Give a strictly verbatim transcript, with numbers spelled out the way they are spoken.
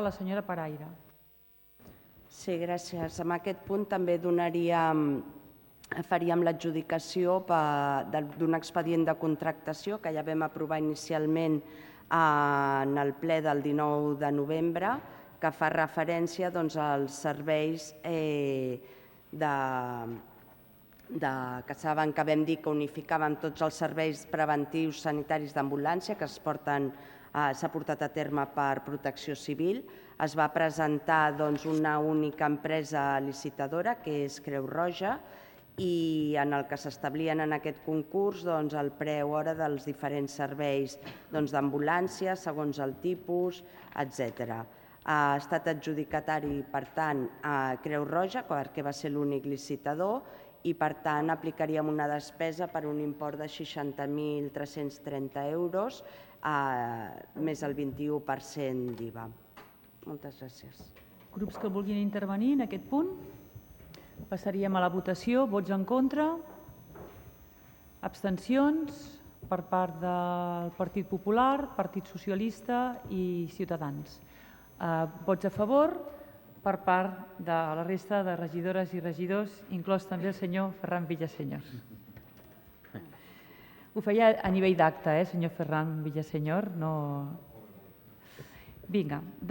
La senyora Paraire. Sí, gràcies. En aquest punt també donaríem, faríem l'adjudicació d'un expedient de contractació que ja vam aprovar inicialment en el ple del dinou de novembre, que fa referència als serveis que saben que vam dir que unificàvem tots els serveis preventius sanitaris d'ambulància que s'ha portat a terme per Protecció Civil. Es va presentar una única empresa licitadora, que és Creu Roja, i en el que s'establien en aquest concurs el preu hora dels diferents serveis d'ambulància, segons el tipus, etcètera. Ha estat adjudicatari, per tant, a Creu Roja, perquè va ser l'únic licitador, i, per tant, aplicaríem una despesa per un import de seixanta mil tres-cents trenta euros, més el vint-i-u per cent d'I V A. Moltes gràcies. Grups que vulguin intervenir en aquest punt? Passaríem a la votació. Vots en contra? Abstencions per part del Partit Popular, Partit Socialista i Ciutadans. Vots a favor per part de la resta de regidores i regidors, inclòs també el senyor Ferran Villaseñor. Ho feia a nivell d'acte, eh, senyor Ferran Villaseñor? No... Vinga.